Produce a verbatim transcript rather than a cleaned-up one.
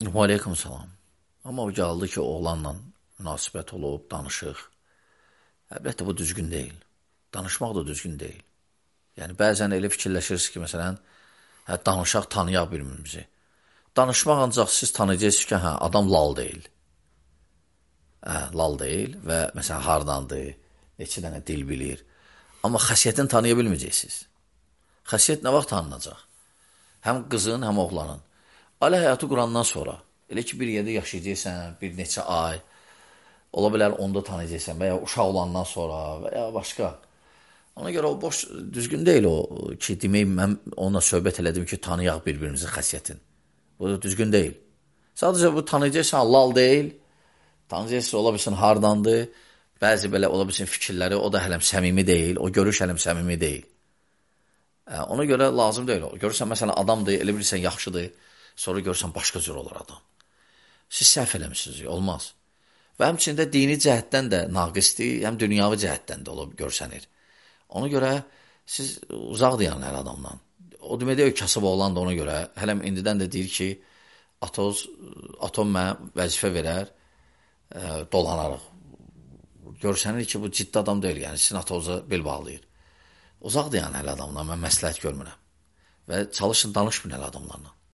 Aleyküm salam. Amma o gəldi ki, oğlanla münasibət olub, danışıq. Əlbəttə, bu düzgün deyil. Danışmaq da düzgün deyil. Yəni, bəzən elə fikirləşirsiniz ki, məsələn, hə, danışaq, tanıyaq birbirimizi. Danışmaq ancaq siz tanıyacaqsınız ki, hə, adam lal deyil. Hə, lal deyil və məsələn, hardandır, neçə dənə dil bilir. Amma xəsiyyətini tanıya bilməyəcəksiniz. Xəsiyyət nə vaxt tanınacaq? Həm qızın, həm oğlanın. Ailə həyatı qurandan sonra, elə ki, bir yerdə yaşayacaqsən, bir neçə ay, ola bilər onda tanıyacaqsən və ya uşaq olandan sonra və ya başqa. Ona görə o boş, düzgün deyil o ki, demək, mən onunla söhbət elədim ki, tanıyaq bir-birimizin xəsiyyətin. Bu da düzgün deyil. Sadəcə bu tanıyacaqsan, lal deyil, tanıyacaqsan, ola bilsin, hardandır, bəzi belə ola bilsin fikirləri, o da hələm səmimi deyil, o görüş hələm səmimi deyil. Ona görə lazım deyil o. Görürsən, məsələn, adamdır, elə bilirsən, yaxşıdır, sonra görürsən, başqa cür olur adam. Siz səhv eləmişsiniz, olmaz. Və həmçində dini cəhətdən də naqisdir, həm dünyavi cəhətdən də olub görsənir. Ona görə siz uzaq deyən hər adamdan. O demək deyil, kasıb oğlan da ona görə, hələm indidən də deyir ki, atoz, atom mənə vəzifə verər, e, dolanarıq. Görsənir ki, bu ciddi adam deyil, yəni sizin atoza bel bağlayır. Uzaq deyən hər adamdan mən məsləhət görmürəm. Və çalışın, danışmayın hər adamlarla.